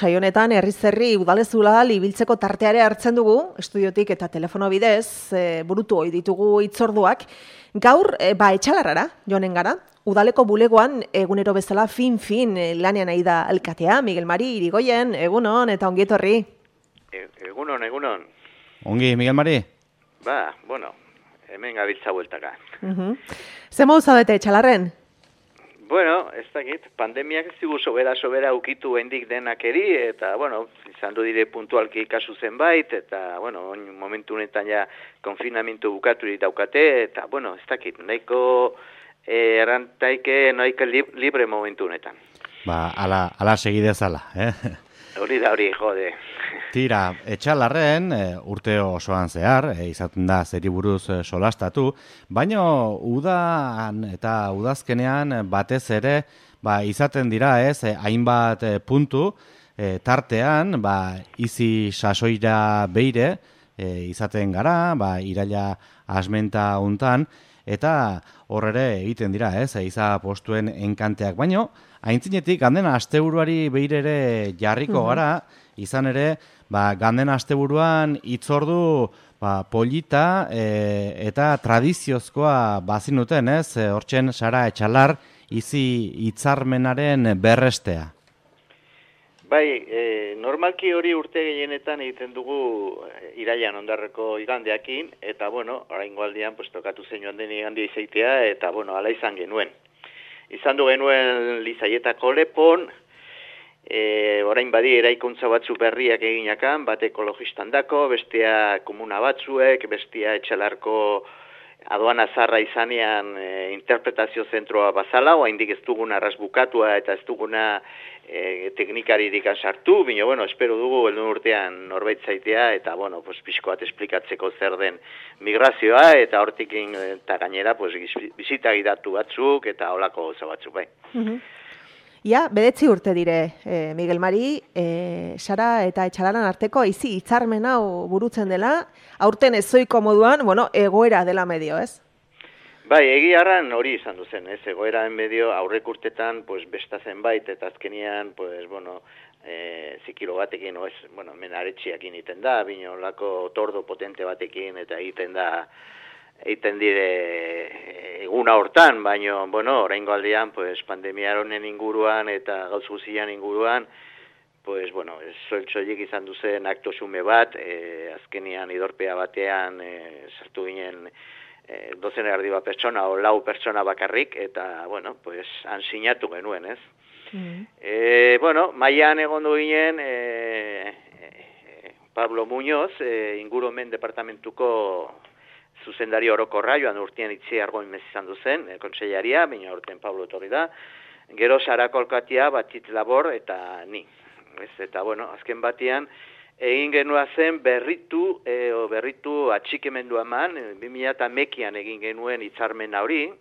saio honetan herri udalezula ibiltzeko tarteare hartzen dugu, estudiotik eta telefono bidez, burutu ohi ditugu hitzorduak. Gaur, etxalarrara joanen gara, udaleko bulegoan egunero bezala fin lanean nahi da alkatea, Miguel Mari Irigoyen, egunon eta ongi etorri. Egunon. Ongi, Miguel Mari? Hemen gabiltza bueltaka. Ze mauza bete etxalarren? Bueno, ez dakit, pandemiak ez digu sobera ukitu hendik denakeri, eta, izan du dire puntualki kasu zenbait, eta, momentu honetan ja konfinamentu bukatu daukate, eta, ez dakit, nahiko errantaike libre momentu honetan. Ala segidezala, Hori da hori, jode. Tira, etxalarren, urte osoan zehar, izaten da zeri buruz solastatu, baina udan eta udazkenean batez ere izaten dira hainbat puntu, tartean izi sasoira beire izaten gara, iraila asmenta untan, eta horre egiten dira, iza postuen enkanteak, baino, aintzinetik ganden asteburuari beire ere jarriko gara, izan ere, ganden asteburuan hitzordu polita eta tradiziozkoa bazinuten, hortzen Sara Etxalar izi hitzarmenaren berrestea. Normalki hori urte gehienetan egiten dugu irailan ondarreko igandeakin, eta, oraingo aldian, tokatu zen joan den igandia izaitea, eta, ala izan genuen. Izan du genuen Lizaietako lepon, orain badi eraikuntza batzu berriak eginakan, bat ekologistan dako, bestea komuna batzuek, bestea Etxalarko aduana zarra izanean interpretazio zentroa bazala, oaindik ez duguna arrasbukatua eta ez duguna teknikaririk sartu, bino, espero dugu helduen urtean norbait zaitea, eta, pixko bat esplikatzeko zer den migrazioa, eta hortikin eta gainera, bizita gidatu batzuk, eta holako goza batzuk, bai. Ja, 9 urte dire, Miguel Mari, Sara eta Etxalaran arteko izi hitzarmen hau burutzen dela, aurten ezoiko moduan, egoera dela medio, ez? Egiarran hori izan duzen, egoeraren medio aurrek urtetan, besta zenbait, eta azkenian, zikilo batekin, hemen aretxiakin iten da, bino lako tordo potente batekin, eta egiten dire eguna hortan, baina, oraingo aldean, pandemia honen inguruan eta gauz guzian inguruan, soiltsoiek izan duzen akto xume bat, azkenian idorpea batean sartu ginen 12 erdi bat pertsona o 4 pertsona bakarrik, eta, han sinatu genuen, ez? Maian egondu ginen Pablo Muñoz, ingurumen departamentuko zuzendari orokorra, joan urtean itzi argoin mez izan duzen, kontseilaria, baina urtean Pablo etorri da, gero Sara Kolkatia, Batit Labor, eta ni. Eta, azken batean, egin genua zen berritu atxikemendu eman, 2011an egin genuen hitzarmena hori,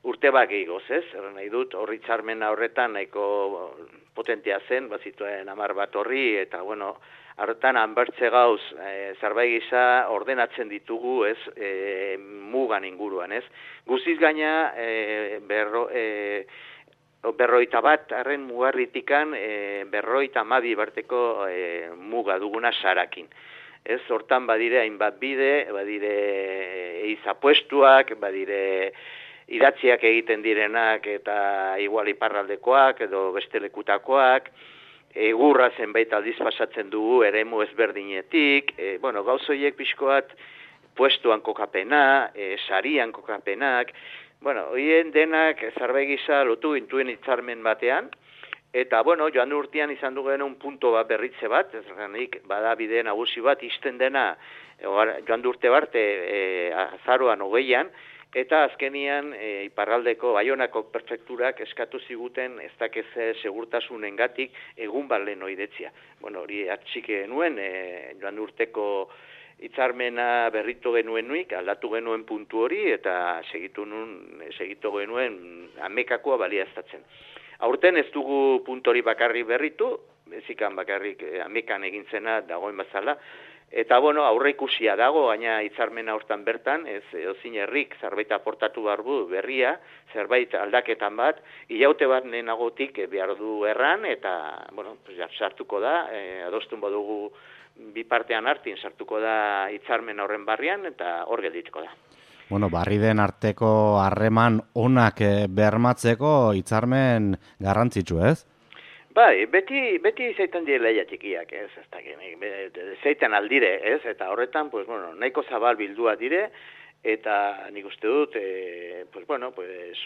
urte bat gehiagoz, ez? Nahi dut, hori hitzarmena horretan nahiko potentea zen, bazituen 10 bat horri, eta, horretan hanbertze gauz, zerbait gisa ordenatzen ditugu, ez, mugan inguruan, ez? Guziz gaina, 51 arren mugarritikan, 52 barteko muga duguna Sarakin. Ez, hortan badire hainbat bide, badire eizapuestuak, badire idatziak egiten direnak, eta igual iparraldekoak, edo beste lekutakoak, egurra zenbait aldiz pasatzen dugu eremu ezberdinetik, gauzoiek pixkoat puestuan kokapena, sarian kokapenak, horien denak zerbait gisa lotu gintuen hitzarmen batean, eta, joan urtean izan dugen punto bat berritze bat, ezranik bada bide nagusi bat izten dena, joan urte barte azaroan 20an, eta azkenian iparraldeko Baionako prefekturak eskatu ziguten ez dakez segurtasunengatik egun bat lehen oidetzia. Hori atxik genuen, joan urteko hitzarmena berritu genuen nuik, aldatu genuen puntu hori, eta segitu genuen amekakoa baliaztatzen. Aurten ez dugu puntu hori bakarrik berritu, bezikan bakarrik amekan egin zena dagoen bazala, Eta, bueno, aurre ikusia dago, gaina hitzarmena hortan bertan, ez ozin herrik zerbait aportatu barbu berria, zerbait aldaketan bat, hilaute bat lehenagotik behar du erran, eta, bueno, pues, sartuko da, adostun badugu bi partean hartin sartuko da hitzarmen horren barrian, eta hor geldituko da. Bueno, barri den arteko harreman onak bermatzeko hitzarmen garrantzitsu, ez? Bai, beti zeiten dire leia txikiak, ez, zeiten aldire, ez, eta horretan, pues, bueno, nahiko zabal bildua dire, eta nik uste dut, pues, bueno, pues,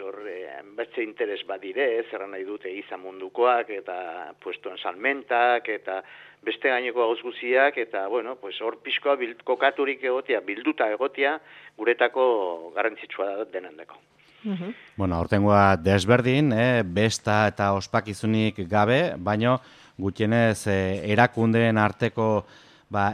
bertze interes badire, ez, erran nahi dute izan mundukoak, eta puestoen salmentak, eta beste gaineko gauz guziak, eta, bueno, pues, hor pixkoa kokaturik egotia, bilduta egotia, guretako garrantzitsua da denendeko. Bueno, aurtengoa desberdin, besta eta ospakizunik gabe, baino gutxienez erakundeen arteko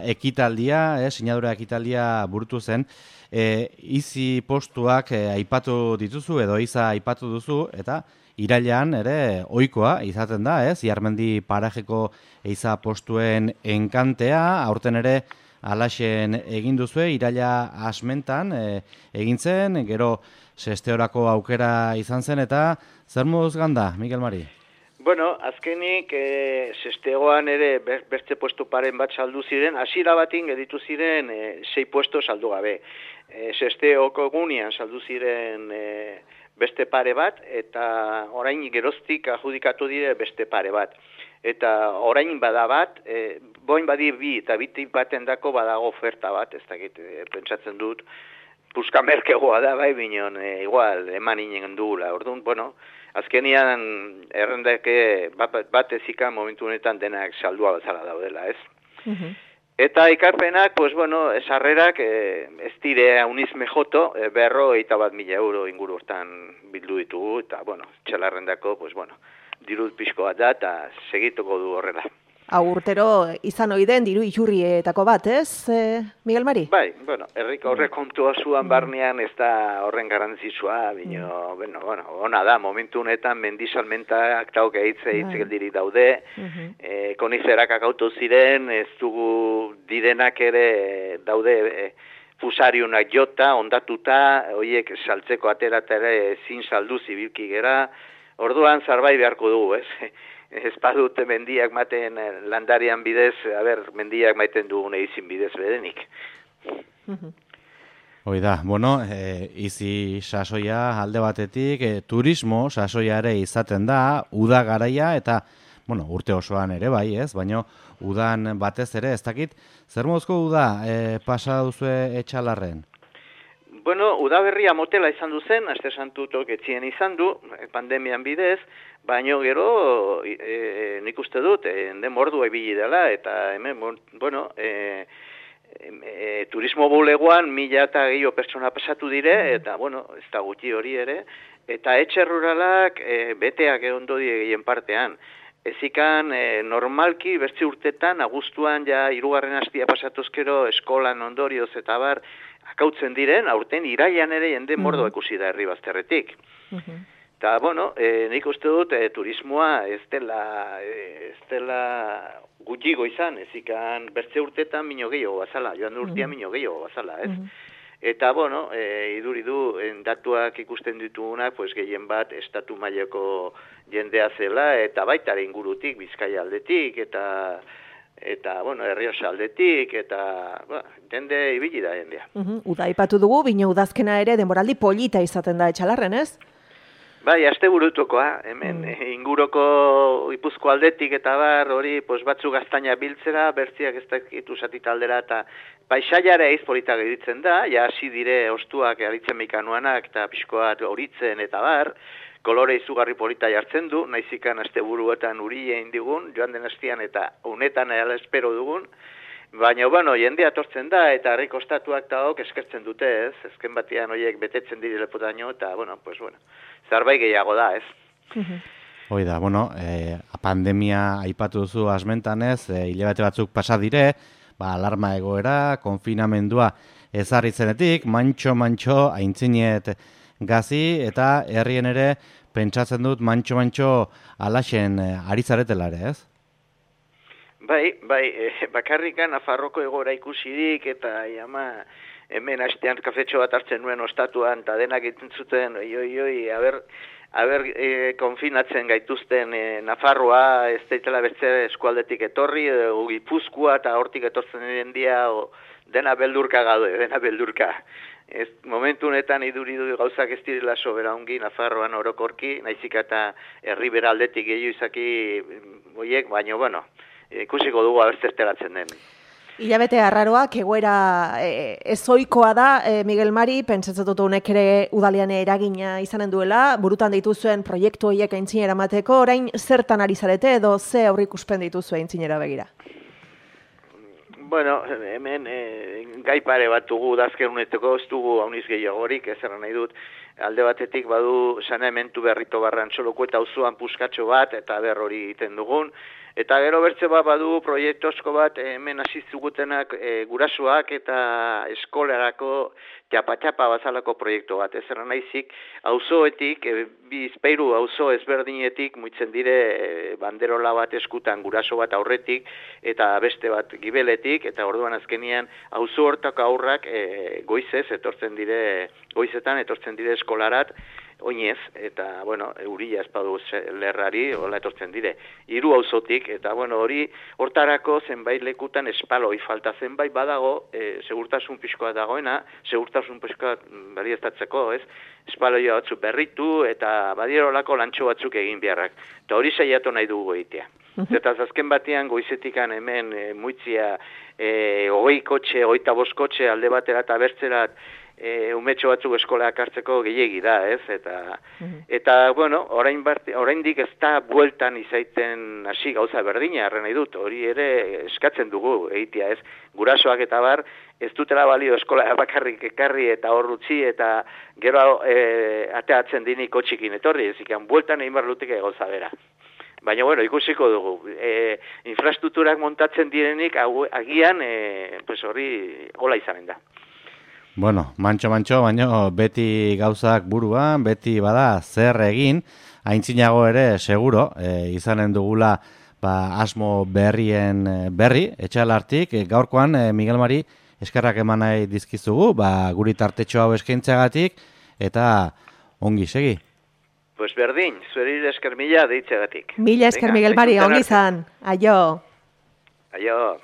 ekitaldia, sinadura ekitaldia burutu zen, izi postuak aipatu dituzu edo iza aipatu duzu, eta irailean ere ohikoa izaten da, Iarmendi parajeko iza postuen enkantea, aurten ere alaxen egin duzue, iraila asmentan egin zen, gero sesteorako aukera izan zen, eta zer moduz ganda, Mikel Mari? Bueno, azkenik sestegoan ere beste puesto paren bat saldu ziren, hasiera batin geditu ziren 6 puesto saldu gabe. Sesteoko gunean saldu ziren beste pare bat, eta orain geroztik adjudikatu dire beste pare bat. Eta orain bada bat, boin badi bi eta bitik baten dako badago oferta bat, ez dakit, pentsatzen dut, puskamerkegoa da, bai, bineon, igual, eman inen dugula, orduan, bueno, azkenian errendake bat ezikan momentu honetan denak saldua bezala daudela, ez? Eta ikarpenak, pues bueno, sarrerak ez dire uniz mejoto, 51.000 euro inguru hortan bildu ditugu, eta, bueno, txalarrendako, pues bueno, dirut pixko bat da, eta segituko du horrela. Urtero izan oiden diru iturrietako bat, ez, Miguel Mari? Bai, bueno, horrek kontua zuan barnean ez da horren garantzitsua, bino, bueno, ona da, momentu honetan mendisalmentak tauk hitzegeldirik daude, koniferak akautu ziren, ez dugu direnak ere daude fusariunak jota, ondatuta, horiek saltzeko aterata ere ezin saldu zibilki gera, orduan zarbait beharko dugu, ez? Ez badute mendiak maten landarian bidez, mendiak maiten dugune izin bidez bedenik. Hoi da, bueno, izi sasoia alde batetik, turismo sasoia ere izaten da, uda garaia, eta, bueno, urte osoan ere bai, ez? Baina udan batez ere, ez dakit, zer mozko uda pasa duzue Etxalarren? Bueno, udaberria motela izan du zen, aste santutok etzien izan du, pandemian bidez, baino gero nik uste dut, denbordua ibili dela, eta hemen, bueno, turismo bulegoan 1.000 pertsona pasatu dire, eta, bueno, ez da gutxi hori ere, eta etxe ruralak beteak ondo gehien partean. Ezikan, normalki, bertzi urtetan, abuztuan, ja, 3. hastia pasatuzkero, eskolan ondorioz eta bar, akautzen diren, aurten irailan ere jende mordoa ikusi da herri bazterretik. Eta, bueno, nik uste dut turismoa ez dela gutxigo izan, ezikan bertze urtetan mino gehiago bazala, joan urtean mino gehiago bazala, ez? Eta, bueno, iduridu, datuak ikusten ditugunak, pues, gehien bat estatu mailako jendea zela, eta baita ingurutik, Bizkaia aldetik, eta bueno, Errioxa aldetik, eta jende ibili da jendea. Uda aipatu dugu, bino udazkena ere denboraldi polita izaten da Etxalarren, ez? Bai, aste burutukoa, hemen inguruko Ipuzko aldetik eta bar, hori pues, batzu gaztaina biltzera, bertziak ez dakitu zatita aldera, eta paisaiare eiz polita geditzen da, ja hasi dire ostuak aritzen mekanuanak, eta pixkoat horitzen eta bar, kolore izugarri polita jartzen du, naizikan aste buruetan uri egin digun, joan den hastian eta unetan ala espero dugun, baina, bueno, jendea atortzen da, eta harrik ostatuak eta hok eskertzen dute, ez? Ezken batean horiek betetzen dire lepotaino, eta, bueno, pues, bueno, zarbait gehiago da, ez? Hoi da, bueno, pandemia aipatu duzu asmentan ez, hilabete batzuk pasa dire, alarma egoera, konfinamendua ezarritzenetik, mantxo, aintzinet gazi, eta herrien ere, pentsatzen dut, mantxo, alaxen ari zaretela ere, ez? Bai, bakarrikan Nafarroko egora ikusirik eta hemen hastean kafetxo bat hartzen nuen ostatuan eta denak egiten zuten, konfinatzen gaituzten Nafarroa, ez daitela beste eskualdetik etorri, Gipuzkoa eta hortik etortzen diren dia, dena beldurka gaude, dena beldurka. Momentu honetan iduridu gauzak ez direla sobera ongi Nafarroan orokorki, naizik eta herribera aldetik gehiago izaki boiek, baina, bueno, ikusiko dugu abertzerteratzen den. Hilabete arraroak egoera ezoikoa da, Miguel Mari, pentsatzen dut honek ere udalean eragina izanen duela, burutan dituzuen proiektu horiek aintzinera mateko, orain zertan ari zarete edo ze aurreikuspen dituzu aintzinera begira? Bueno, hemen gai pare bat dugu dazken uneteko, ez dugu hauniz gehiagorik, ez nahi dut, alde batetik badu saneamentu berrito barran txoloko eta auzoan puskatxo bat, eta hori egiten dugun, eta gero bertze bat badu proiektozko bat hemen asizugutenak gurasoak eta eskolarako txapa bazalako proiektu bat. Ez nahizik, auzoetik, bizpeiru auzo ezberdinetik muitzen dire banderola bat eskutan guraso bat aurretik eta beste bat gibeletik, eta orduan azkenian auzo hortako aurrak goizetan etortzen dire eskolarat, oinez, eta, bueno, euria espadu lerrari, hola etortzen dire, 3 auzotik, eta, bueno, hori hortarako zenbait lekutan espaloi falta zenbait badago, segurtasun pixkoa dagoena, segurtasun pixkoa baliestatzeko, ez? Espaloia batzuk berritu, eta badierolako lantxo batzuk egin beharrak. Eta hori saiatu nahi dugu egitea. Eta azken batean goizetikan hemen muitzia 20 kotxe, 25 kotxe alde batera eta bertzerat umetxo batzuk eskolak hartzeko gehiegi da, ez? Eta bueno, oraindik ez da bueltan izaiten hasi gauza berdina, arren nahi dut, hori ere eskatzen dugu egitea, ez? Gurasoak eta bar, ez dutela balio eskola bakarrik ekarri eta hor utzi eta gero ateatzen dinik kotxikin etorri, ez ikan bueltan egin behar luteke gauza bera. Baina, bueno, ikusiko dugu. Infrastrukturak montatzen direnik, agian, hori hola izanen da. Bueno, mantxo, baina beti gauzak buruan, beti bada zer egin, aintzinago ere, seguro, izanen dugula asmo berrien berri, etxalartik, gaurkoan, Miguel Mari, eskerrak eman nahi dizkizugu, guri tartetxo hau eskaintzagatik, eta ongi, segi. Pues berdin, zueri esker mila deitzegatik. Mila esker Miguel Mari, ongi izan. Aio. Aio.